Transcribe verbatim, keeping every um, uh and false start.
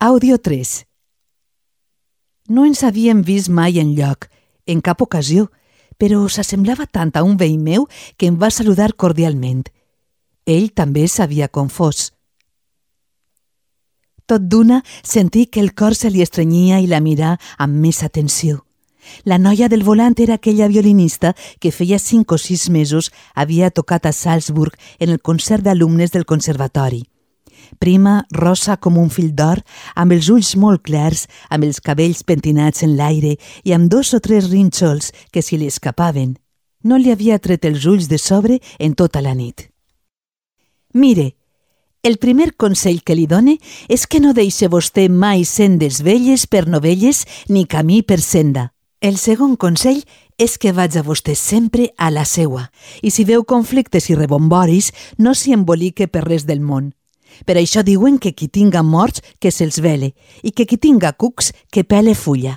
Àudio tres. No ens havíem vist mai enlloc, en cap ocasió, però s'assemblava tant a un veí meu que em va saludar cordialment. Ell també s'havia confós. Tot d'una sentí que el cor se li estrenyia i la mirà amb més atenció. La noia del volant era aquella violinista que feia cinc o sis mesos havia tocat a Salzburg en el concert d'alumnes del conservatori. Prima, rosa com un fil d'or, amb els ulls molt clars, amb els cabells pentinats en l'aire i amb dos o tres rínxols que se li escapaven. No li havia tret els ulls de sobre en tota la nit. Mire, el primer consell que li done és que no deixe vostè mai sendes velles per novelles ni camí per senda. El segon consell és que vaig a vostè sempre a la seua i si veu conflictes i rebomboris no s'hi embolique per res del món. Per això diuen que qui tinga morts que se'ls vele i que qui tinga cucs que pele fulla.